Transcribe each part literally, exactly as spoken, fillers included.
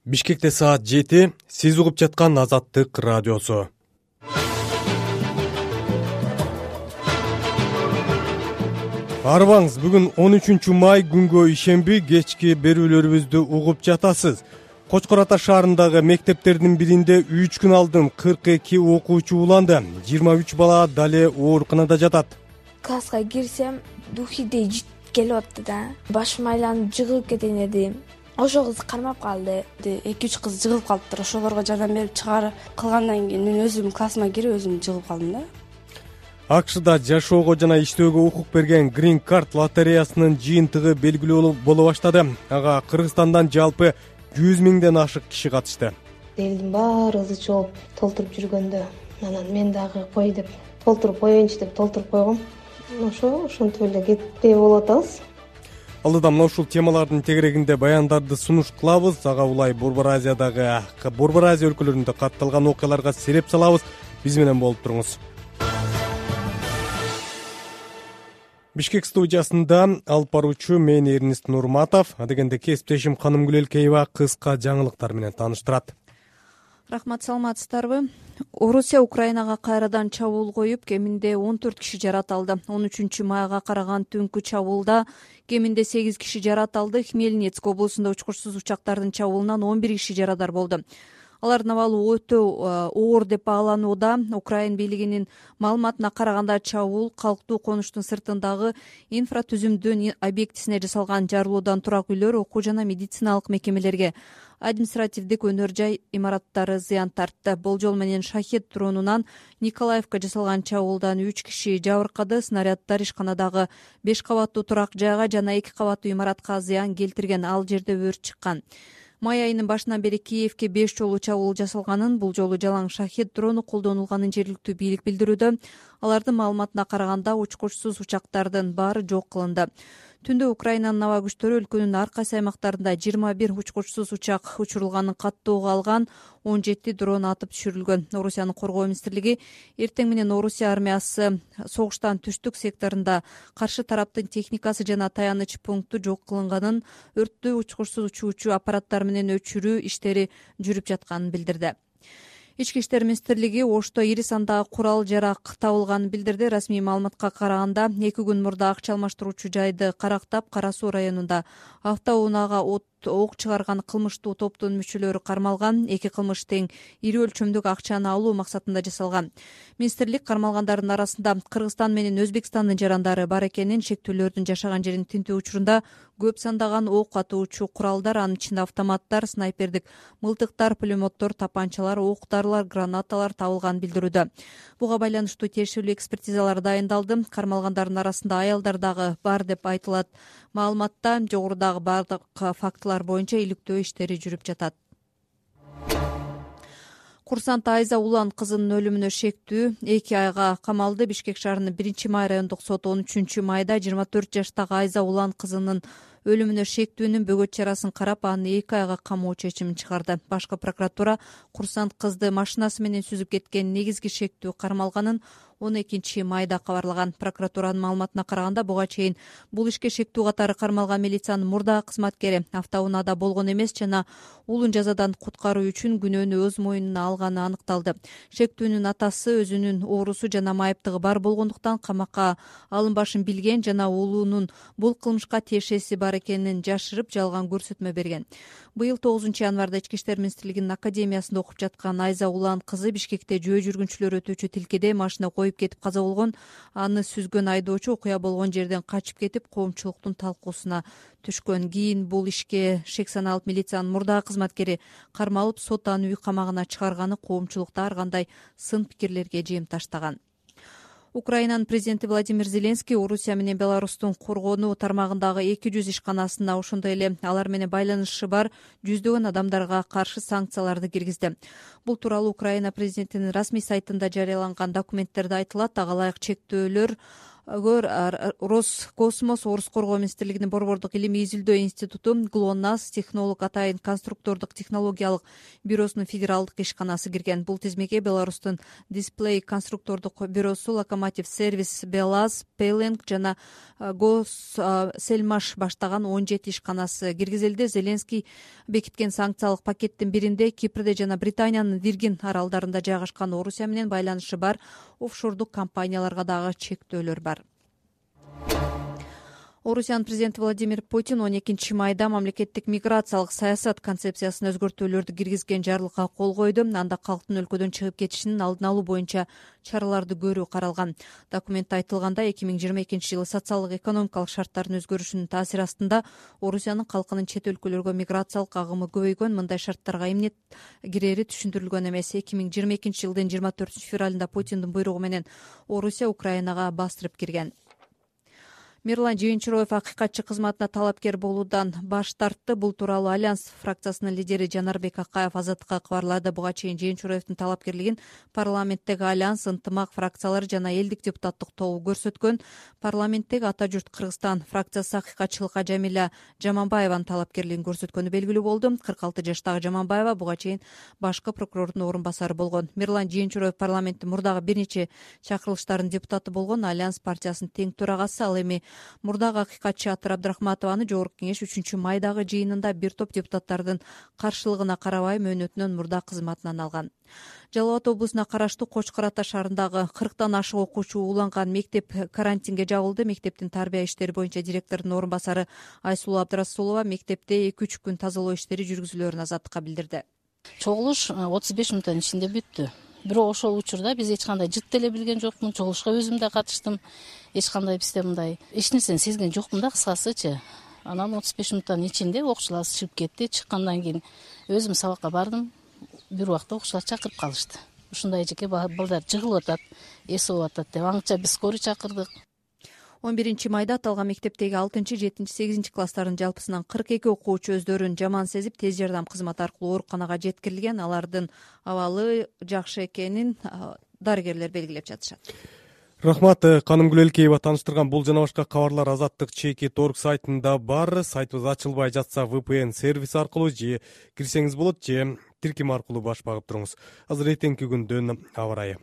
Бишкекте саат жети. Сиз угуп жаткан Азаттык радиосу. Арбаңыз, бүгүн он үчүнчү май күнгө ишемби кечки берүүлөрүбүздү угуп жатасыз. Кочкор Ата шаарындагы мектептердин биринде үч күн алдын кырк эки окуучу уланды. жыйырма үч бала дале ооруканада жатат. Класска кирсем, духидей жит келип атты да. Башым айланып жыгылып кетейин дедим. Ошол кыз кармап калды. эки үч кыз жыгылып калыптыр. Ошолорго жардам берип чыгарып кылгандан кийин мен өзүм классыма кирип өзүм жыгылып калдым да. АКШда жашоого жана иштөөгө укук берген Green Card лотереясынын жыйынтыгы белгилүү боло баштады. Ага Кыргызстандан жалпы жүз миңден ашык киши катышты. Элдин баары ызы чоп толтуруп жүргөндө, анан мен дагы кой деп толтуруп коеюнчу деп толтуруп койгом. Ошо ошентип эле кетпей болуп атабыз. Алдыда мына ушул темалардын тегерегинде баяндарды сунуш кылабыз. Ага улай Борбор Азиядагы, Борбор Азия өлкөлөрүндө катталган окуяларга сереп салабыз. Биз менен болуп туруңуз. Бишкек студиясында алып баруучу мен Эрнист Нурматов, адегенде кесиптешим Канымгүл Элкеева кыска жаңылыктар менен тааныштырат. Рахмат, саламатсыздарбы? Орусия Украинага кайрадан чабуул коюп, кеминде он төрт киши жарат алды. он үчүнчү майга караган түнкү чабуулда кеминде сегиз киши жарат алды. Хмельницк облусунда учкучсуз учактардын чабуулунан он бир киши жарадар болду. Алардын абалы өтө оор деп бааланууда. Украин бийлигинин маалыматына караганда чабуул калктуу конуштун сыртындагы инфратүзүмдүн объектисине жасалган. Жарылуудан турак үйлөр, окуу жана медициналык мекемелерге, административдик өнөр жай имараттары зыян тартты. Болжол менен шахет дронунан Николаевка жасалган чабуулдан үч киши жабыркады. Снаряддар ишканадагы беш кабаттуу турак жайга жана эки кабаттуу имаратка зыян келтирген. Ал жерде өрт чыккан. Май айынын башынан бери Киевке беш жолу чабуул жасалганын, бул жолу жалаң шахет дрону колдонулганын жергиликтүү бийлик билдирүүдө. Алардын маалыматына караганда учкучсуз учактардын баары жок кылынды. Түндө Украинанын аба күчтөрү өлкөнүн ар кайсы аймактарында жыйырма бир учкучсуз учак учурулганын каттоого алган, он жети дрон атып түшүрүлгөн. Орусиянын коргоо министрлиги эртең менен Орусия армиясы согуштан түштүк секторунда каршы тараптын техникасы жана таяныч пункту жок кылынганын, өрттү учкучсуз учуучу аппараттар менен өчүрүү иштери жүрүп жатканын билдирди. Ички иштер министрлиги Ошто ири сандагы курал жарак табылганын билдирди. Расмий маалыматка караганда, эки күн мурда акча алмаштыруучу жайды карактап, Кара Суу районунда автоунаага от ок чыгарган кылмыштуу топтун мүчөлөрү кармалган. Эки кылмыш тең ири өлчөмдүк акчаны алуу максатында жасалган. Министрлик кармалгандардын арасында Кыргызстан менен Өзбекстандын жарандары бар экенин, шектүүлөрдүн жашаган жерин тинтүү учурунда көп сандаган ок атуучу куралдар, анын ичинде автоматтар, снайпердик мылтыктар, пулеметтор, тапанчалар, октарлар, гранаталар табылганын билдирүүдө. Буга байланыштуу тиешелүү экспертизалар дайындалды. Кармалгандардын арасында аялдар дагы бар деп айтылат. Маалыматта жогорудагы бардык фактылар боюнча иликтөө иштери жүрүп жатат. Курсант Айза Улан кызынын өлүмүнө шектүү эки айга камалды. Бишкек шаарынын биринчи май райондук соты он үчүнчү майда жыйырма төрт жаштагы Айза Улан кызынын өлүмүнө шектүүнүн бөгөт чарасын карап, аны эки айга камоо чечимин чыгарды. Башкы прокуратура курсант кызды машинасы менен сүзүп кеткен негизги шектүү кармалганын он экинчи майда кабарлаган. Прокуратуранын маалыматына караганда, буга чейин бул ишке шектүү катары кармалган милициянын мурдагы кызматкери автоунаада болгон эмес жана уулун жазадан куткаруу үчүн күнөөнү өз мойнуна алганы аныкталды. Шектүүнүн атасы өзүнүн оорусу жана майыптыгы бар болгондуктан камакка алынбашын билген жана уулунун бул кылмышка тиешеси бар экенин жашырып, жалган көрсөтмө берген. Быйыл тогузунчу январда Ички иштер министрлигинин академиясында окуп жаткан Айза Улан кызы Бишкекте жөө жүргүнчүлөр өтүүчү тилкеде машина коюп кетип каза болгон. Аны сүзгөн айдоочу окуя болгон жерден качып кетип, коомчулуктун талкуусуна түшкөн. Кийин бул ишке шек саналып милициянын мурдагы кызматкери кармалып, сот аны үй камагына чыгарганы коомчулукта ар кандай сын пикирлерге жем таштаган. Украинанын президенти Владимир Зеленский Орусия менен Беларустун коргонуу тармагындагы эки жүз ишканасына, ошондой эле алар менен байланышы бар жүздөгөн адамдарга каршы санкцияларды киргизди. Бул тууралуу Украина президентинин расмий сайтында жарыяланган документтерде айтылат. Ага ылайык чектөөлөр Роскосмос, Орус коргоо министрлигинин борбордук илимий изилдөө институту, ГЛОНАСС, технолог атайын конструктордук технологиялык бюросунун федералдык ишканасы кирген. Бул тизмеге Беларустун Дисплей конструктордук бюросу, Локомотив сервис, Белаз, Пейленг жана Госсельмаш баштаган он жети ишканасы киргизилди. Зеленский бекиткен санкциялык пакеттин биринде Кипрде жана Британиянын Виргин аралдарында жайгашкан Орусия менен байланышы бар офшордук компанияларга дагы чектөөлөр бар. Орусиянын президенти Владимир Путин он экинчи майда мамлекеттик миграциялык саясат концепциясына өзгөртүүлөрдү киргизген жарлыкка кол койду. Анда калктын өлкөдөн чыгып кетишинин алдын алуу боюнча чараларды көрүү каралган. Документте айтылгандай, эки миң жыйырма экинчи жылы социалдык экономикалык шарттардын өзгөрүшүнүн таасири астында Орусиянын калкынын чет өлкөлөргө миграциялык агымы көбөйгөн. Мындай шарттарга эмне кирери түшүндүрүлгөн эмес. эки миң жыйырма экинчи жылдын жыйырма төртүнчү февралында Путиндин буйругу менен Орусия Украинага бастырып кирген. Мирлан Жыйынчуроев акыйкатчы кызматына талапкер болуудан баш тартты. Бул тууралуу Альянс фракциясынын лидери Жанарбек Акаев Азаттыкка кабарлады. Буга чейин Жыйынчуроевдин талапкерлигин парламенттеги Альянс, ынтымак фракциялары жана элдик депутаттык тобу көрсөткөн. Парламенттеги Ата журт Кыргызстан фракциясы акыйкатчылыкка Жамиля Жаманбаеванын талапкерлигин көрсөткөнү белгилүү болду. кырк алты жаштагы Жаманбаева буга чейин башкы прокурордун орун басары болгон. Мирлан Жыйынчуроев парламенттин мурдагы бир нече чакырылыштардын депутаты болгон. Альянс партиясынын тең төрагасы. Ал эми мурдагы акыйкатчы Атыр Абдрахматованы Жогорку кеңеш үчүнчү майдагы жыйынында бир топ депутаттардын каршылыгына карабай мөөнөтүнөн мурда кызматынан алган. Жалал Абад облусуна караштуу Кочкор Ата шаарындагы кырктан ашык окуучу ууланган мектеп карантинге жабылды. Мектептин тарбия иштери боюнча директордун орун басары Айсулуу Абдрасулова мектепте эки үч күн тазалоо иштери жүргүзүлөөрүн Азаттыкка билдирди. Чогулуш отуз беш мүнөттүн ичинде бүттү. Бирок ошол учурда биз эч кандай жыт деле билген жокмун. Чогулушка өзүм да катыштым. Эч кандай бизде мындай эч нерсени сезген жокмун да, кыскасычы. Анан отуз беш мүнөттүн ичинде окуучулар чыгып кетти. Чыккандан кийин өзүм сабакка бардым. Бир убакта окуучулар чакырып калышты. Ушундай эжеке балдар жыгылып атат, эс болуп атат деп аңча биз скорый чакырдык. он биринчи майда аталган мектептеги алтынчы, жетинчи, сегизинчи класстардын жалпысынан кырк эки окуучу өздөрүн жаман сезип, тез жардам кызматы аркылуу ооруканага жеткирилген. Алардын абалы жакшы экенин дарыгерлер белгилеп жатышат. Рахмат, Канымгүл Элкеева тааныштырган бул жана башка кабарлар Азаттык чекит точка орг сайтында бар. Сайтыбыз ачылбай жатса ви пи эн сервис аркылуу же кирсеңиз болот, же тиркем аркылуу баш багып туруңуз. Азыр эртеңки күндүн аба ырайы.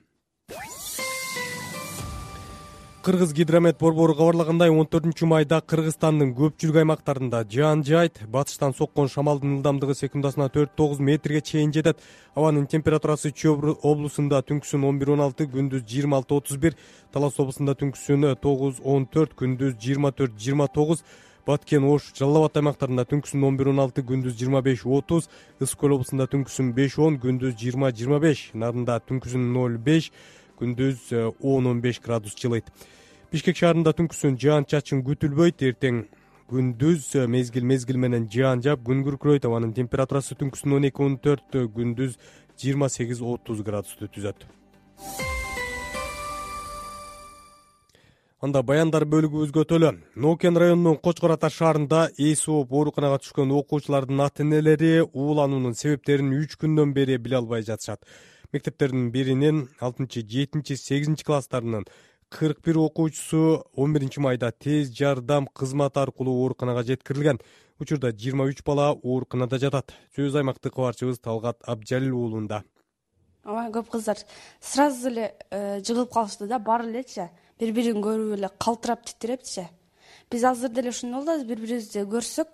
Кыргыз гидромет борбору кабарлагандай, он төртүнчү майда Кыргызстандын көпчүлүк аймактарында жаан жайт, батыштан соккон шамалдын ылдамдыгы секундасына төрт тогуз метрге чейин жетет. Абанын температурасы Чүй облусунда түнкүсүн он бир он алты, күндүз жыйырма алты отуз бир, Талас облусунда түнкүсүн тогуз он төрт, күндүз жыйырма төрт жыйырма тогуз, Баткен, Ош, Жалал Абад аймактарында түнкүсүн он бир он алты, күндүз жыйырма беш отуз, Ысык көл облусунда түнкүсүн беш он, күндүз жыйырма жыйырма беш, Нарында түнкүсүн ноль беш, күндүз он он беш градус жылыйт. Бишкек шаарында түнкүсүн жаан чачын күтүлбөйт. Эртең күндүз мезгил мезгил менен жаан жаап, күн күркүрөйт. Абанын температурасы түнкүсүн он эки он төрт, күндүз жыйырма сегиз отуз градусту түзөт. Анда баяндар бөлүгүбүзгө төлө. Нокен районунун Кочкор Ата шаарында эс ооп ооруканага түшкөн окуучулардын ата энелери уулануунун себептерин үч күндөн бери биле албай жатышат. Мектептердин биринин алтынчы, жетинчи, сегизинчи класстарынын кырк бир окуучусу он биринчи майда тез жардам кызматы аркылуу ооруканага жеткирилген. Учурда жыйырма үч бала ооруканада жатат. Сөз аймактык кабарчыбыз Талгат Абжалил уулунда. Ага, көп кыздар сразу эле жыгылып калышты да, бар элечи. Бири-бирин көрүп эле калтырап титирептичи. Биз азыр деле ушундай болду, бири-бирибизди көрсөк,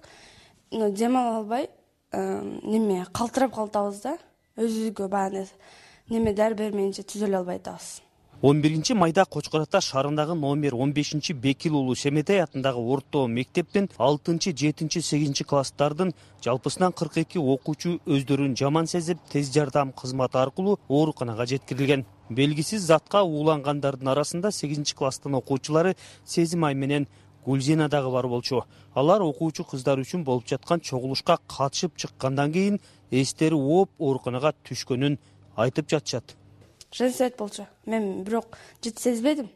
дем ала албай, неме калтырап калатабыз да. Өзүбүзгө баягы неме дар бермейинче түзөлө албай атабыз. он биринчи майда Кочкор Ата шаарындагы номер он бешинчи Бекил уулу Шеметай атындагы орто мектептин алтынчы, жетинчи, сегизинчи класстардын жалпысынан кырк эки окуучу өздөрүн жаман сезип, тез жардам кызматы аркылуу ооруканага жеткирилген. Белгисиз затка уулангандардын арасында сегизинчи класстын окуучулары Сезим Ай менен Гүлзина дагы бар болчу. Алар окуучу кыздар үчүн болуп жаткан чогулушка катышып чыккандан кийин эстери ооп ооруканага түшкөнүн айтып жатышат. Женсет болчу. Мен бирок жыт сезбедим.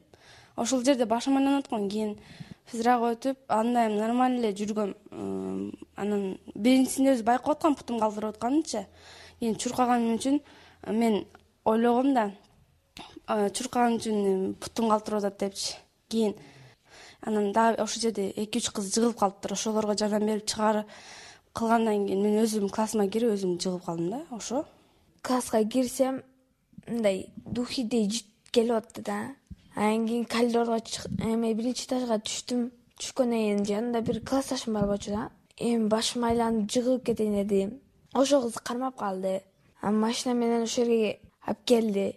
Ошол жерде башым айланып аткан, кийин физрак өтүп, андай нормаль эле жүргөм. Анан биринчисинде өз байкап аткан, путум калтырып атканынчы. Кийин чуркаганым үчүн мен ойлогом да, чуркаган үчүн путум калтырып атат депчи. кийин анан дагы ошол жерде эки үч кыз жыгылып калыптыр. Ошолорго жардам берип чыгарып кылгандан кийин мен өзүм классыма кирип өзүм жыгылып калдым да. Ошо класска кирсем мындай духидей жыт келип атты да. Анан кийин коридорго эме биринчи этажга түштүм. Түшкөндөн кийин жанымда бир классташым бар болчу да. Эми башым айланып жыгылып кетейин дедим. Ошол кыз кармап калды. Анан машина менен ошол жерге алып келди.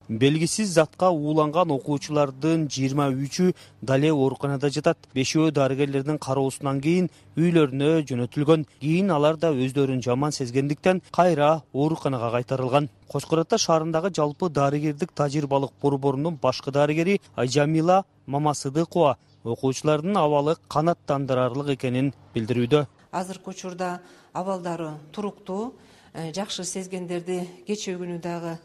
Белгисиз затка ууланган окуучулардын жыйырма үчү дале ооруканада жатат. Бешөө дарыгерлердин кароосунан кийин үйлөрүнө жөнөтүлгөн. Кийин алар да өздөрүн жаман сезгендиктен кайра ооруканага кайтарылган. Кочкор Ата шаарындагы жалпы дарыгердик тажрыйбалык борборунун башкы дарыгери Айжамила Мамасыдыкова окуучулардын абалы канааттандырарлык экенин билдирүүдө. Азыркы учурда абалдары туруктуу, жакшы сезгендерди кечээ күнү дагы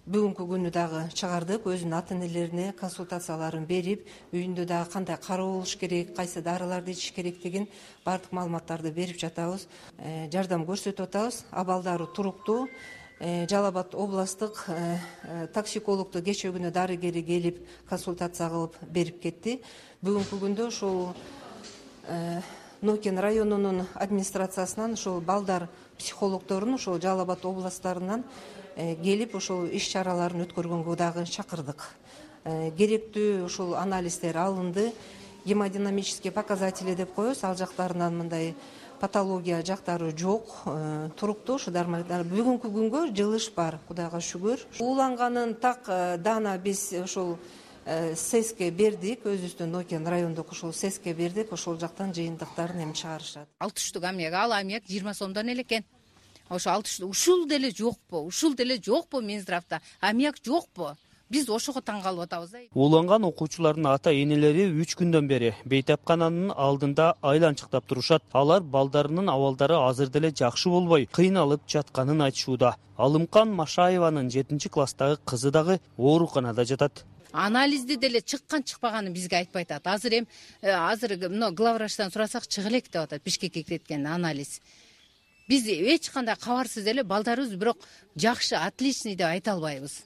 бүгүнкү күнү дагы чыгардык, өзүнүн ата энелерине консультацияларын берип, үйүндө дагы кандай кароо болуш керек, кайсы дарыларды ичиш керектигин бардык маалыматтарды берип жатабыз, жардам көрсөтүп атабыз. Абалдары туруктуу. Жалал Абад областтык токсикологду кечээ күнү дарыгери келип консультация кылып берип кетти. Бүгүнкү күндө ошол Нокен районунун администрациясынан ошол балдар психологдорун ошол Жалал Абад областарынан келип ошол иш чараларын өткөргөнгө дагы чакырдык. Керектүү ошол анализдер алынды. Гемодинамический показатели деп коебуз, ал жактарынан мындай патология жактары жок, туруктуу. Ушулар бүгүнкү күнгө жылыш бар, Кудайга шүгүр. Ууланганын так дана биз ошол сеске бердик, өзүбүздүн Нокен райондук ошол сеске бердик, ошол жактан жыйынтыктарын эми чыгарышат. алты штук аммиак, ал аммиак жыйырма сомдон эле экен. Ошо алты штук ушул деле жокпу? Ушул деле жокпу Минздравда? Аммиак жокпу? Биз ошого таң калып атабыз. Ууланган окуучулардын ата энелери үч күндөн бери бейтапкананын алдында айланчыктап турушат. Алар балдарынын абалдары азыр деле жакшы болбой, кыйналып жатканын айтышууда. Алымкан Машаеванын жетинчи класстагы кызы дагы ооруканада жатат. Анализди деле чыккан чыкпаганын бизге айтпай атат. Азыр эм азыр мына главврачтан сурасак чыга элек деп атат, Бишкекке кеткен анализ. Биз эч кандай кабарсыз эле балдарыбыз бирок жакшы, отличный деп айта албайбыз.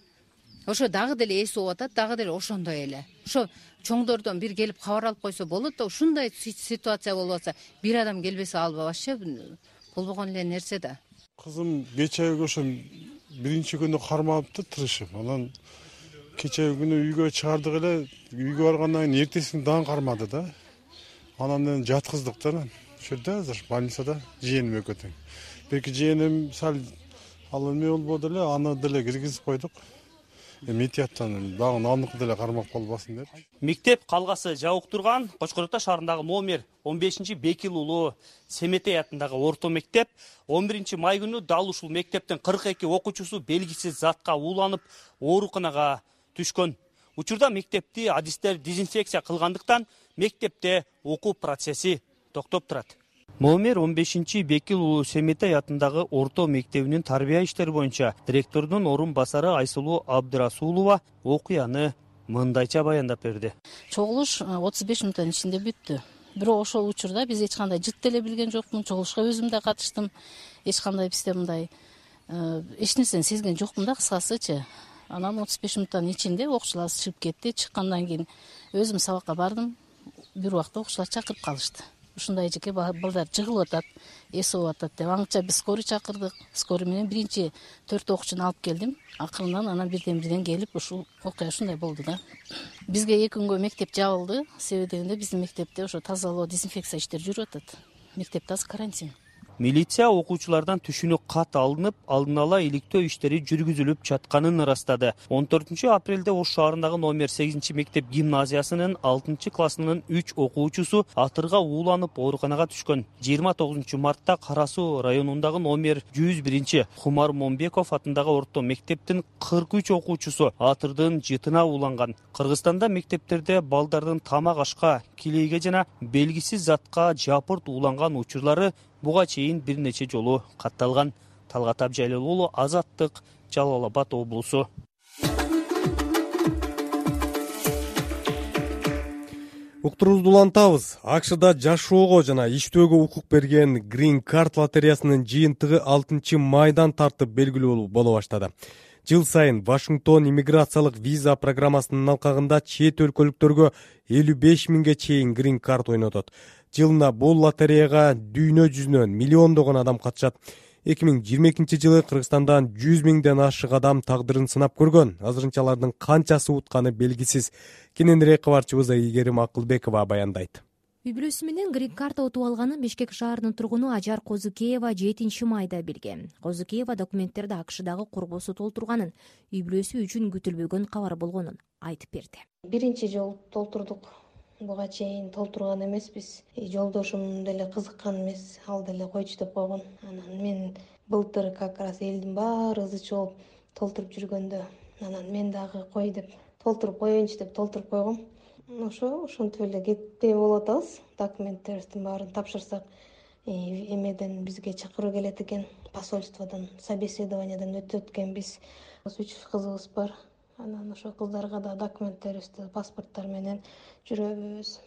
Ошо дагы деле эс болуп атат, дагы деле ошондой эле. Ошо чоңдордон бир келип кабар алып койсо болот да, ушундай ситуация болуп атса, бир адам келбесе ал вообще болбогон эле нерсе да. Кызым кечеги ошо биринчи күнү кармапты тырышып. Анан кечеги күнү үйгө чыгардык эле, үйгө баргандан кийин эртеси күнү дагы кармады да. Анан жаткыздык да. Ошол жерде азыр больницада жыйеним экөө тең. Бирки жыйеним сал ал эме болбоду эле, аны деле киргизип койдук. Метияттан дагы аныкы деле кармап калбасын деп. Мектеп калгасы жабык турган Кочкор Ата шаарындагы номер он бешинчи Бекил уулу Семетей атындагы орто мектеп он биринчи май күнү дал ушул мектептин кырк эки окуучусу белгисиз затка ууланып ооруканага түшкөн. Учурда мектепти адистер дезинфекция кылгандыктан мектепте окуу процесси токтоп турат. Номер он бешинчи Бекил уулу Семетей атындагы орто мектебинин тарбия иштери боюнча директордун орун басары Айсулуу Абдырасулова окуяны мындайча баяндап берди. Чогулуш отуз беш мүнөттүн ичинде бүттү. Бирок ошол учурда биз эч кандай жыт деле билген жокмун. Чогулушка өзүм да катыштым. Эч кандай бизде мындай эч нерсени сезген жокмун да, кыскасычы. Анан отуз беш мүнөттүн ичинде окуучулар чыгып кетти. Чыккандан кийин өзүм сабакка бардым. Бир убакта окуучулар чакырып калышты. Ушундай эжеке балдар жыгылып атат, эс болуп атат деп. Аңча биз скорый чакырдык. Скорый менен биринчи төрт окуучуну алып келдим. Акырындан анан бирден бирден келип ушул окуя ушундай болду да. Бизге эки күнгө мектеп жабылды. Себеби дегенде биздин мектепте ошо тазалоо, дезинфекция иштери жүрүп атат. Мектепте азыр карантин. Милиция окуучулардан түшүнүк кат алынып, алдын ала иликтөө иштери жүргүзүлүп жатканын ырастады. он төртүнчү апрелде Ош шаарындагы номер сегизинчи мектеп гимназиясынын алтынчы классынын үч окуучусу атырга ууланып ооруканага түшкөн. жыйырма тогузунчу мартта Кара Суу районундагы номер жүз биринчи Хумар Момбеков атындагы орто мектептин кырк үч окуучусу атырдын жытына ууланган. Кыргызстанда мектептерде балдардын тамак ашка, килейге жана белгисиз затка жапырт ууланган учурлары буга чейин бир нече жолу катталган. Талгат Абжайлы уулу, Азаттык, Жалал Абад облусу. Уктуруубузду улантабыз. АКШда жашоого жана иштөөгө укук берген Green Card лотереясынын жыйынтыгы алтынчы майдан тартып белгилүү боло баштады. Жыл сайын Вашингтон иммиграциялык виза программасынын алкагында чет өлкөлүктөргө элүү беш миңге чейин грин карт ойнотот. Жылына бул лотереяга дүйнө жүзүнөн миллиондогон адам катышат. эки миң жыйырма экинчи жылы Кыргызстандан жүз миңден ашык адам тагдырын сынап көргөн. Азырынча алардын канчасы утканы белгисиз. Кененирээк кабарчыбыз Ийгерим Акылбекова баяндайт. Үй бүлөсү менен грин карта утуп алганын Бишкек шаарынын тургуну Ажар Козукеева жетинчи майда билген. Козукеева документтерди АКШдагы курбусу толтурганын, үй бүлөсү үчүн күтүлбөгөн кабар болгонун айтып берди. Биринчи жолу толтурдук. Буга чейин толтурган эмеспиз. Жолдошум деле кызыккан эмес, ал деле койчу деп койгон. Анан мен былтыр как раз элдин баары ызы чогуп толтуруп жүргөндө, анан мен дагы кой деп толтуруп коеюнчу деп толтуруп койгом. Ошо ошентип эле кетпей болуп атабыз. Документтерибиздин баарын тапшырсак, эмеден бизге чакыруу келет экен, посольстводон, собеседованиядан өтөт экенбиз. Үч кызыбыз бар. Анан ошо кыздарга да документтерибизди, паспорттор менен жүрөбүз.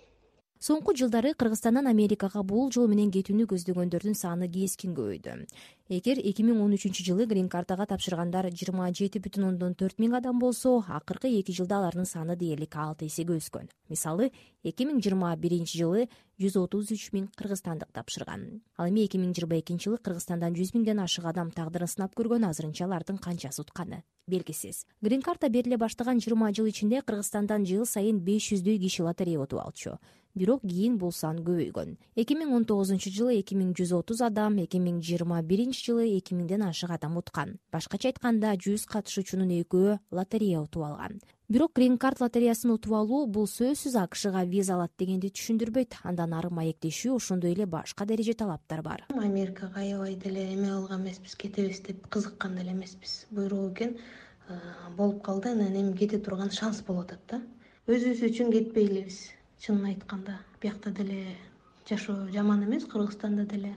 Соңку жылдары Кыргызстандан Америкага бул жол менен кетүүнү көздөгөндөрдүн саны кескин көбөйдү. Эгер эки миң он үчүнчү жылы грин картага тапшыргандар жыйырма жети бүтүн ондон төрт миң адам болсо, акыркы эки жылда алардын саны дээрлик алты эсеге өскөн. Мисалы, эки миң жыйырма биринчи жылы жүз отуз үч миң кыргызстандык тапшырган. Ал эми эки миң жыйырма экинчи жылы Кыргызстандан жүз миңден ашык адам тагдырын сынап көргөн. Азырынча алардын канчасы утканы белгисиз. Грин карта бериле баштаган жыйырма жыл ичинде Кыргызстандан жыл сайын беш жүздөй киши лотерея утуп алчу. Бирок кийин бул сан көбөйгөн. эки миң он тогузунчу жылы эки миң жүз отуз адам, эки миң жыйырма биринчи жылы эки миңден ашык адам уткан. Башкача айтканда жүз катышуучунун экөө лотерея утуп алган. Бирок грин карт лотереясын утуп алуу бул сөзсүз АКШга виза алат дегенди түшүндүрбөйт. Андан ары маектешүү, ошондой эле башка дереже талаптар бар. Америкага аябай деле эме алган эмеспиз, кетебиз деп кызыккан деле эмеспиз. Буйругу экен болуп калды, анан эми кете турган шанс болуп атат да. Өзүбүз үчүн кетпейлибиз. Чынын айтканда, биякта деле жашоо жаман эмес, Кыргызстанда деле.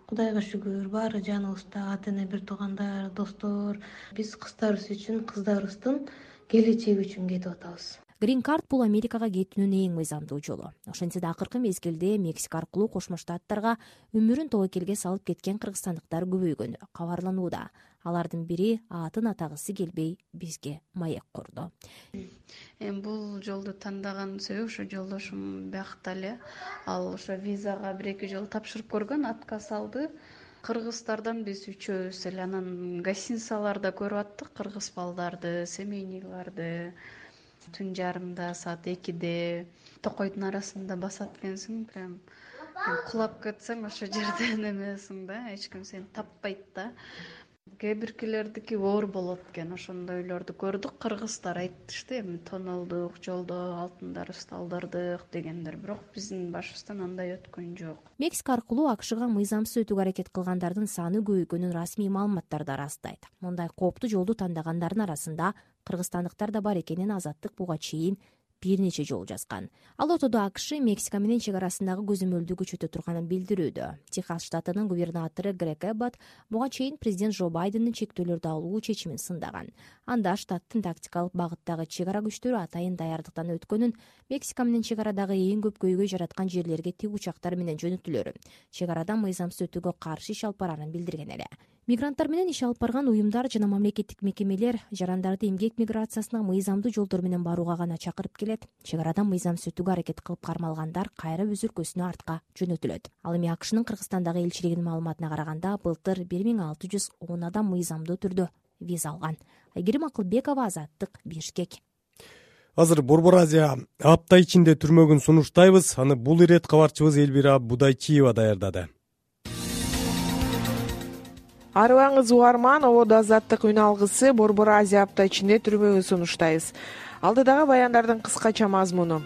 Кудайга шүгүр, баары жаныбызда, ата эне, бир туугандар, достор. Биз кыздарыбыз үчүн, кыздарыбыздын келечеги үчүн кетип атабыз. Грин карт бул Америкага кетүүнүн эң мыйзамдуу жолу. Ошентсе да акыркы мезгилде Мексика аркылуу Кошмо Штаттарга өмүрүн тобокелге салып кеткен кыргызстандыктар көбөйгөнү кабарланууда. Алардын бири атын атагысы келбей бизге маек курду. Эми бул жолду тандаган себеби ошо жолдошум биякта эле ал ошо визага бир эки жолу тапшырып көргөн, отказ алды. Кыргыздардан биз үчөөбүз эле анан гостиницаларда көрүп аттык кыргыз балдарды, семейнийларды. Түн жарымда, саат экиде токойдун арасында басат экенсиң, прям кулап кетсең ошо жерден эмесиң да, эч ким сени таппайт да. Кээ биркилердики оор болот экен, ошондойлорду көрдүк. Кыргыздар айтышты, эми тоналдык, жолдо алтындарыбызды алдырдык дегендер, бирок биздин башыбыздан андай өткөн жок. Мексика аркылуу АКШга мыйзамсыз өтүүгө аракет кылгандардын саны көбөйгөнүн расмий маалыматтар да ырастайт. Мындай кооптуу жолду тандагандардын арасында кыргызстандыктар да бар экенин Азаттык буга чейин бир нече жолу жазган. Ал ортодо АКШ Мексика менен чек арасындагы көзөмөлдү күчөтө турганын билдирүүдө. Техас штатынын губернатору Грег Эббот буга чейин президент Джо Байдендин чектөөлөрдү алуу чечимин сындаган. Анда штаттын тактикалык багыттагы чек ара күчтөрү атайын даярдыктан өткөнүн, Мексика менен чек арадагы эң көп көйгөй жараткан жерлерге тик учактар менен жөнөтүлөрүн, чек арадан мыйзамсыз өтүүгө каршы иш алып барарын билдирген эле. Мигранттар менен иш алып барган уюмдар жана мамлекеттик мекемелер жарандарды эмгек миграциясына мыйзамдуу жолдор менен барууга гана чакырып келет. Чек арадан мыйзамсыз өтүүгө аракет кылып кармалгандар кайра өз өлкөсүнө артка жөнөтүлөт. Ал эми АКШнын Кыргызстандагы элчилигинин маалыматына караганда, былтыр бир миң алты жүз он адам мыйзамдуу түрдө виза алган. Айгерим Акылбекова, Азаттык, Бишкек. Азыр Борбор Азия апта ичинде түрмөгүн сунуштайбыз. Аны бул ирет кабарчыбыз Элбира Будайчиева даярдады. Арыбаңыз угарман, ободо Азаттык үн алгысы Борбор Азия апта ичинде түрмөгүн сунуштайбыз. Алдыдагы баяндардын кыскача мазмуну.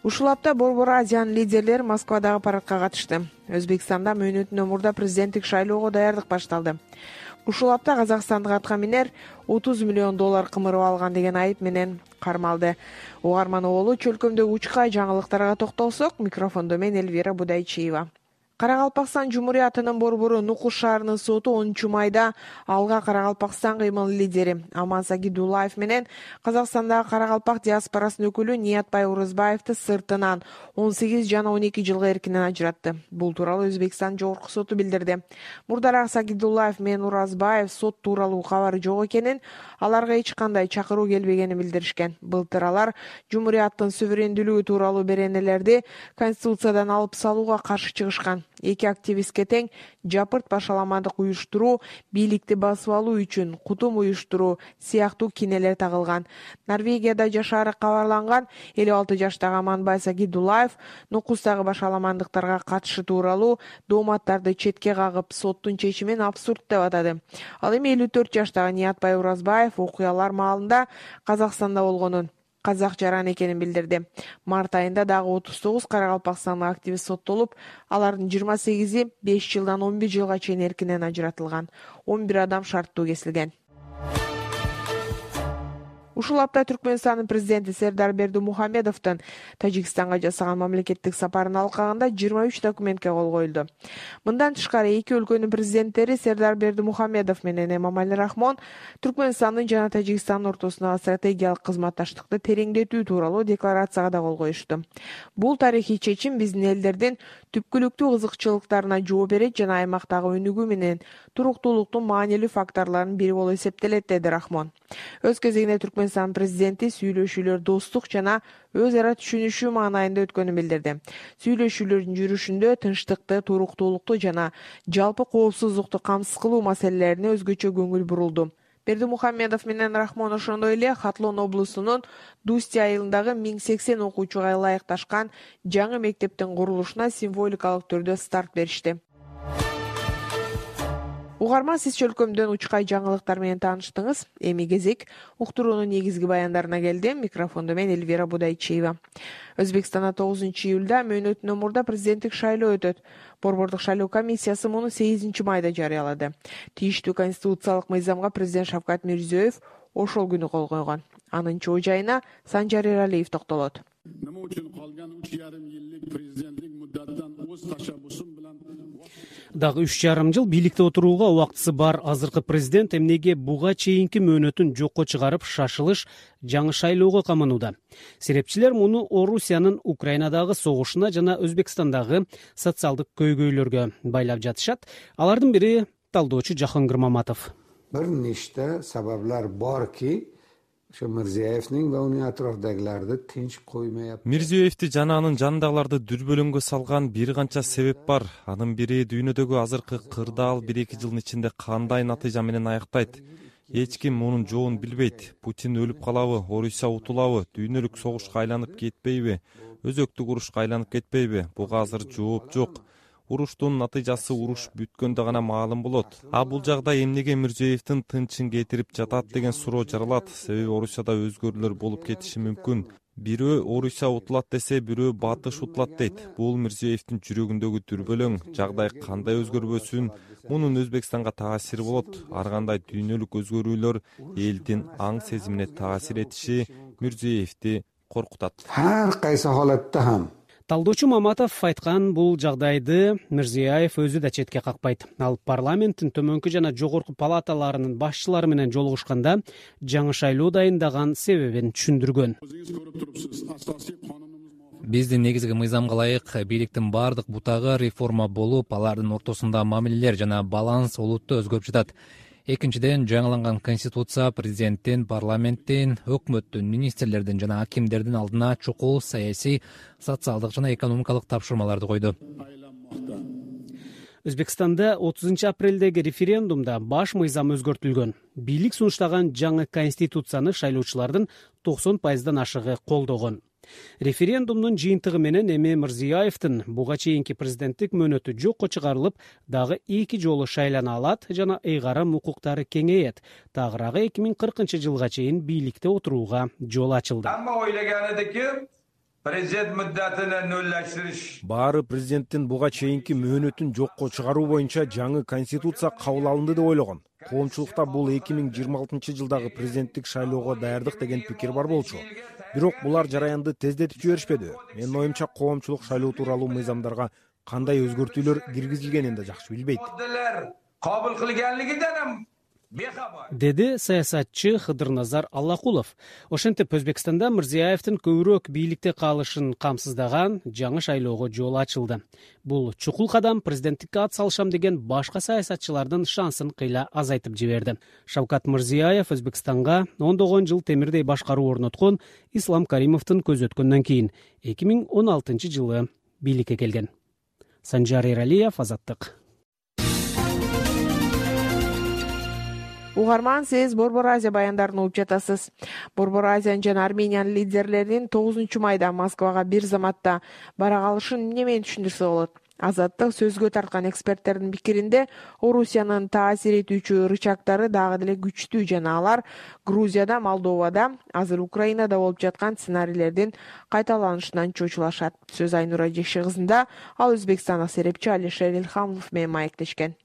Ушул апта Борбор Азиянын лидерлери Москвадагы парадка катышты. Өзбекстанда мөөнөтүнөн мурда президенттик шайлоого даярдык башталды. Ушул апта казакстандык атка минер отуз миллион доллар кымырып алган деген айып менен кармалды. Угарман оболу чөлкөмдөгү учкай жаңылыктарга токтолсок, микрофондо мен Элвира Будайчиева. Каракалпакстан Жумуриятынын борбору Нукус шаарынын соту онунчу майда Алга Каракалпакстан кыймыл лидери Аман Сагидуллаев менен Казакстандагы Каракалпак диаспорасынын өкүлү Ниятбай Уразбаевди сыртынан он сегиз жана он эки жылга эркинен ажыратты. Бул тууралуу Өзбекстан жогорку соту билдирди. Мурдараак Сагидуллаев менен Уразбаев сот тууралуу кабары жок экенин, аларга эч кандай чакыруу келбегенин билдиришкен. Былтыр алар Жумурияттын суверендүүлүгү тууралуу беренелерди Конституциядан алып салууга каршы чыгышкан. Эки активистке тең жапырт башаламандык уюштуруу, бийликти басып алуу үчүн кутум уюштуруу сыяктуу кинелер тагылган. Норвегияда жашаары кабарланган элүү алты жаштагы Аманбай Сагидуллаев Нукустагы башаламандыктарга катышы тууралуу дооматтарды четке кагып, соттун чечимин абсурд деп атады. Ал эми элүү төрт жаштагы Ниятбай Уразбаев окуялар маалында Казакстанда болгонун, казак жаран экенин билдирди. Март айында дагы отуз тогуз каракалпакстандык активист соттолуп, алардын жыйырма сегизи беш жылдан он бир жылга чейин эркинен ажыратылган. он бир адам шарттуу кесилген. Ушул апта Түркмөнстандын президенти Сердар Бердимухамедовдун Тажикстанга жасаган мамлекеттик сапарын алкагында жыйырма үч документке кол коюлду. Мындан тышкары эки өлкөнүн президенттери Сердар Бердимухамедов менен Эмомали Рахмон Түркмөнстандын жана Тажикстандын ортосундагы стратегиялык кызматташтыкты тереңдетүү тууралуу декларацияга да кол коюшту. Бул тарыхый чечим биздин элдердин түпкүлүктүү кызыкчылыктарына жооп берет жана аймактагы өнүгүү менен туруктуулуктун маанилүү факторлорунун бири болуп эсептелет, деди Рахмон. Өз кезегинде Түркмөнстан президенти сүйлөшүүлөр достук жана өз ара түшүнүшүү маанайында өткөнүн билдирди. Сүйлөшүүлөрдүн жүрүшүндө тынчтыкты, туруктуулукту жана жалпы коопсуздукту камсыз кылуу маселелерине өзгөчө көңүл бурулду. Бердимухамедов менен Рахмон ошондой эле Хатлон облусунун Дусти айылындагы миң сексен окуучуга ылайыкташкан жаңы мектептин курулушуна символикалык түрдө старт беришти. Угарман, сиз чөлкөмдөн учкай жаңылыктар менен тааныштыңыз. Эми кезек уктуруунун негизги баяндарына келди. Микрофондо мен Эльвира Будайчиева. Өзбекстанда тогузунчу июлда мөөнөтүнөн мурда президенттик шайлоо өтөт. Борбордук шайлоо комиссиясы муну сегизинчи майда жарыялады. Тийиштүү конституциялык мыйзамга президент Шавкат Мирзиёев ошол күнү кол койгон. Анын чоо жайына Санжар Эралиев токтолот. Nima uchun qolgan uch yarim yillik prezidentlik muddatidan o'z tashabbusim bilan Дагы үч жарым жыл бийликте отурууга убактысы бар азыркы президент эмнеге буга чейинки мөөнөтүн жокко чыгарып, шашылыш жаңы шайлоого каманууда? Серепчилер муну Орусиянын Украинадагы согушуна жана Өзбекстандагы социалдык көйгөйлөргө байлап жатышат. Алардын бири талдоочу Жахангир Маматов. Bir nechta sabablar borki, Şu Mirziyoyevning va uning atrofidagilarni tinch qo'ymayapti. Mirziyoyevди жана анын жанындагыларды дүрбөлөңгө салган бир канча себеп бар. Анын бири дүйнөдөгү азыркы кырдаал бир эки жылдын ичинде кандай натыйжа менен аяктайт. Эч ким мунун жоон билбейт. Путин өлүп калабы, Орусия утулабы, дүйнөлүк согушка айланып кетпейби, өзөктүк урушка айланып кетпейби? Буга азыр жооп жок. Уруштун натыйжасы уруш бүткөндө гана маалым болот. А бул жагдай эмнеге Мирзиёевдин тынчын кетирип жатат деген суроо жаралат. Себеби Орусияда өзгөрүүлөр болуп кетиши мүмкүн. Бирөө Орусия утулат десе, бирөө батыш утулат дейт. Бул Мирзиёевдин жүрөгүндөгү дүрбөлөң. Жагдай кандай өзгөрбөсүн, мунун Өзбекстанга таасири болот. Ар кандай дүйнөлүк өзгөрүүлөр элдин аң сезимине таасир этиши Мирзиёевди коркутат. Har qaysi holatda ham Талдоочу Маматов айткан бул жагдайды Мирзиёев өзү да четке какпайт. Ал парламенттин төмөнкү жана жогорку палаталарынын башчылары менен жолугушканда жаңы шайлоо дайындаган себебин түшүндүргөн. Биздин негизги мыйзамга ылайык бийликтин бардык бутагы реформа болуп, алардын ортосунда мамилелер жана баланс олуттуу өзгөрүп жатат. Экинчиден, жаңыланган конституция президенттин, парламенттин, өкмөттүн, министрлердин жана акимдердин алдына чукул саясий, социалдык жана экономикалык тапшырмаларды койду. Өзбекстанда отузунчу апрелдеги референдумда баш мыйзам өзгөртүлгөн. Бийлик сунуштаган жаңы конституцияны шайлоочулардын токсон пайыздан ашыгы колдогон. Референдумдун жыйынтыгы менен эми Мирзиёевдин буга чейинки президенттик мөөнөтү жокко чыгарылып, дагы эки жолу шайлана алат жана ыйгарым укуктары кеңейет. Тагыраагы эки миң кыркынчы жылга чейин бийликте отурууга жол ачылды. Президент муддатын нөллөштүрүш. Баары президенттин буга чейинки мөөнөтүн жокко чыгаруу боюнча жаңы конституция кабыл алынды деп ойлогон. Коомчулукта бул эки миң жыйырма алтынчы жылдагы президенттик шайлоого даярдык деген пикир бар болчу. Бирок булар жараянды тездетип жиберишпеди. Менин оюмча коомчулук шайлоо тууралуу мыйзамдарга кандай өзгөртүүлөр киргизилгенин да жакшы билбейт. Кабыл кылганлыгынан ham деди саясатчы Хыдырназар Аллакулов. Ошентип Өзбекстанда Мирзиёевдин көбүрөөк бийликте калышын камсыздаган жаңы шайлоого жол ачылды. Бул чукул кадам президенттикке ат салышам деген башка саясатчылардын шансын кыйла азайтып жиберди. Шавкат Мирзиёев Өзбекстанга ондогон жыл темирдей башкаруу орноткон Ислам Каримовдун көзөткөндөн кийин эки миң он алтынчы жылы бийликке келген. Санжар Эралиев, Азаттык. Угарман, сиз Борбор Азия баяндарын угуп жатасыз. Борбор Азиянын жана Армениянын лидерлеринин тогузунчу майда Москвага бир заматта бара калышын эмне менен түшүндүрсө болот? Азаттык сөзгө тарткан эксперттердин пикиринде, Орусиянын таасир этүүчү рычагдары дагы деле күчтүү жана алар Грузияда, Молдовада, азыр Украинада болуп жаткан сценарийлердин кайталанышынан чочулашат. Сөз Айнура Жекши кызында, ал Өзбекстандык серепчи Алишер Илхамов менен маектешкен.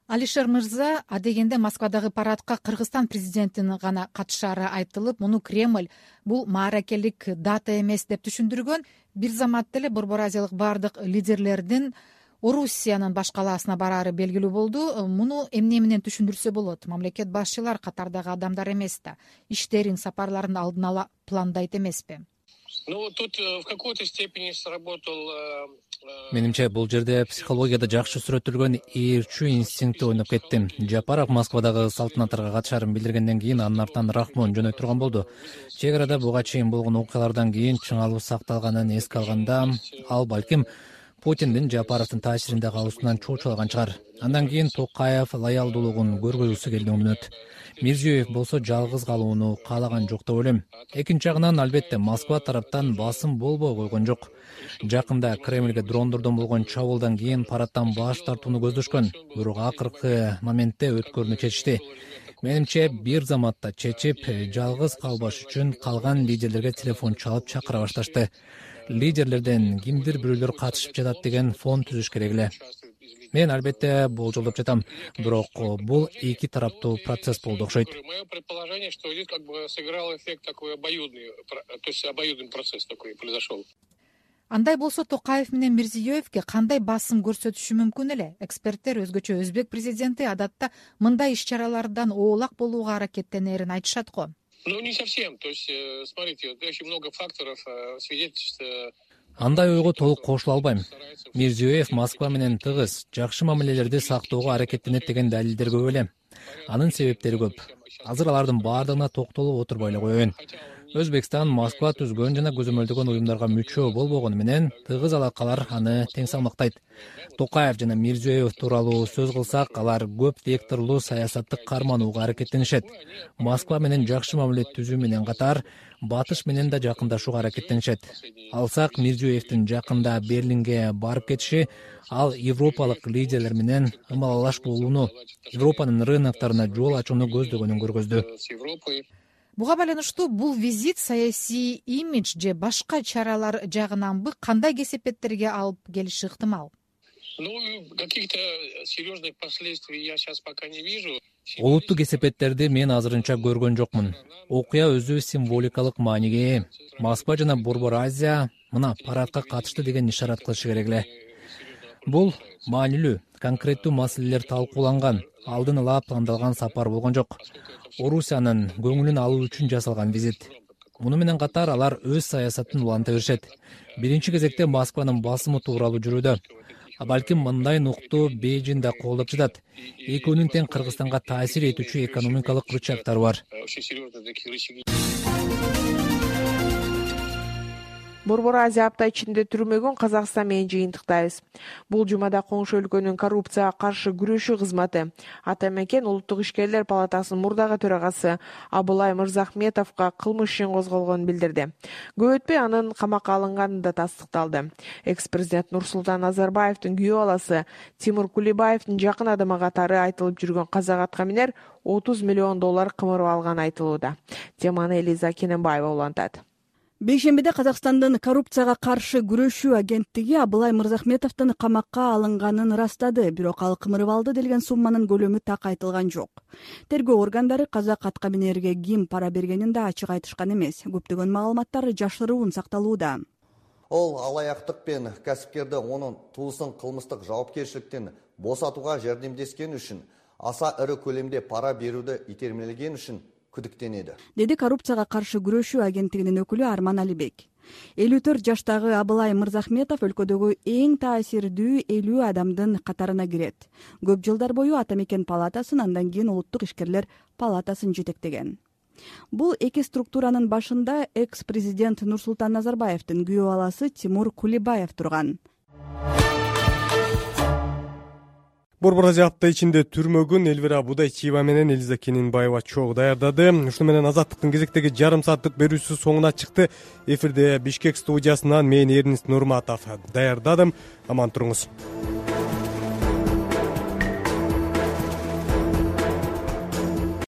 Алишер мырза, адегенде Москвадагы парадка Кыргызстан президентинин гана катышаары айтылып, муну Кремль бул мааракелик дата эмес деп түшүндүргөн. Бир замат деле Борбор Азиялык бардык лидерлердин Орусиянын баш калаасына бараары белгилүү болду. Муну эмне менен түшүндүрсө болот? Мамлекет башчылар катардагы адамдар эмес да, иштерин, сапарларын алдын ала пландайт эмеспи? Ну, тут в какой-то степени сработал... Менимче, бул жерде психологияда жакшы сүрөттөлгөн ээрчүү инстинкти ойноп кетти. Жапаров Москвадагы салтанаттарга катышаарын билдиргенден кийин анын артынан Рахмон жөнөй турган болду. Чек арада буга чейин болгон окуялардан кийин чыңалуу сакталганын эске алганда, ал балким Путиндин Жапаровдун таасиринде калуусунан чочулган чыгар. Андан кийин Токаев лоялдуулугун көргөзгүсү келди мүнөт. Мирзиёев болсо жалгыз калууну каалаган жок деп ойлойм. Экинчи жагынан албетте Москва тараптан басым болбой койгон жок. Жакында Кремльге дрондордон болгон чабуулдан кийин парадтан баш тартууну көздөшкөн, бирок акыркы моментте өткөрүүнү чечишти. Менимче, бир заматта чечип, жалгыз калбаш үчүн калган лидерлерге телефон чалып чакыра башташты. Лидерлерден кимдир бирөөлөр катышып жатат деген фон түзүш керек эле. Мен албетте болжолдоп жатам, бирок бул эки тараптуу процесс болду окшойт. Мое предположение, что здесь как бы сыграл эффект такой обоюдный, то есть обоюдный процесс такой произошел. Андай болсо Токаев менен Мирзиёевге кандай басым көрсөтүшү мүмкүн эле? Эксперттер өзгөчө өзбек президенти адатта мындай иш-чаралардан оолак болууга аракеттенерин айтышат го. Ну, не совсем. То есть, смотрите, очень много факторов свидетельствует. Андай ойго толук кошула албайм. Мирзиёев Москва менен тыгыз, жакшы мамилелерди сактоого аракеттенет деген далилдер көп эле. Анын себептери көп. Азыр алардын баардыгына токтолуп отурбай эле коеюн. Өзбекстан Москва түзгөн жана көзөмөлдөгөн уюмдарга мүчө болбогону менен тыгыз алакалар аны тең салмактайт. Токаев жана Мирзиёев тууралуу сөз кылсак, алар көп векторлуу саясатты карманууга аракеттенишет. Москва менен жакшы мамиле түзүү менен катар батыш менен да жакындашууга аракеттенишет. Алсак, Мирзиёевдин жакында Берлинге барып кетиши ал европалык лидерлер менен ымалалаш болууну, Европанын рыноктарына жол ачууну көздөгөнүн көргөздү. Буга байланыштуу бул визит саясий имидж же башка чаралар жагынанбы кандай кесепеттерге алып келиши ыктымал? Ну, каких-то серьезных последствий я сейчас пока не вижу. Олуттуу кесепеттерди мен азырынча көргөн жокмун. Окуя өзү символикалык мааниге ээ. Москва жана Борбор Азия мына парадка катышты деген ишарат кылышы керек эле. Бул маанилүү, конкреттүү маселелер талкууланган, алдын ала пландалган сапар болгон жок. Орусиянын көңүлүн алуу үчүн жасалган визит. Муну менен катар алар өз саясатын уланта беришет. Биринчи кезекте Москванын басымы тууралуу жүрүүдө. А балким мындай нукту Бейжиң да колдоп жатат. Экөөнүн тең Кыргызстанга таасир этүүчү экономикалык рычагдары бар. Борбор Азия апта ичинде түрмөгөн Казакстан менен жыйынтыктайбыз. Бул жумада коңшу өлкөнүн коррупцияга каршы күрөшүү кызматы Атамекен улуттук ишкерлер палатасынын мурдагы төрагасы Абылай Мырзахметовго кылмыш ишин козголгонун билдирди. Көп өтпөй анын камакка алынганы да тастыкталды. Экс-президент Нурсултан Назарбаевдин күйөө баласы Тимур Кулибаевдин жакын адамы катары айтылып жүргөн казак аткаминер отуз миллион доллар кымырып алганы айтылууда. Теманы Элиза Кененбаева улантат. Бейшембиде Казакстандын коррупцияга каршы күрөшүү агенттиги Абылай Мырзахметовдун камакка алынганын ырастады, бирок ал кымырып алды делген сумманын көлөмү так айтылган жок. Тергөө органдары казак аткаминерге ким пара бергенин да ачык айтышкан эмес. Көптөгөн маалыматтар жашыруун сакталууда. Ол алаяктык пен кәсипкерди онун туусун кылмыстык жоопкерчиликтен босатууга жардамдескени үчүн аса ыры көлөмдө пара берүүдө итермелеген үчүн күдүктөнүүдө, деди коррупцияга каршы күрөшүү агенттигинин өкүлү Арман Алибек. элүү төрт жаштагы Абылай Мырзахметов өлкөдөгү эң таасирдүү элүү адамдын катарына кирет. Көп жылдар бою Ата мекен палатасын, андан кийин Улуттук ишкерлер палатасын жетектеген. Бул эки структуранын башында экс-президент Нурсултан Назарбаевдин күйөө баласы Тимур Кулибаев турган. Борбор Азия апта ичинде түрмөгүн Элвира Будайчиева менен Элиза Кенинбаева чогуу даярдады. Ушуну менен Азаттыктын кезектеги жарым сааттык берүүсү соңуна чыкты. Эфирде Бишкек студиясынан мен Эрнист Нурматов даярдадым. Аман туруңуз.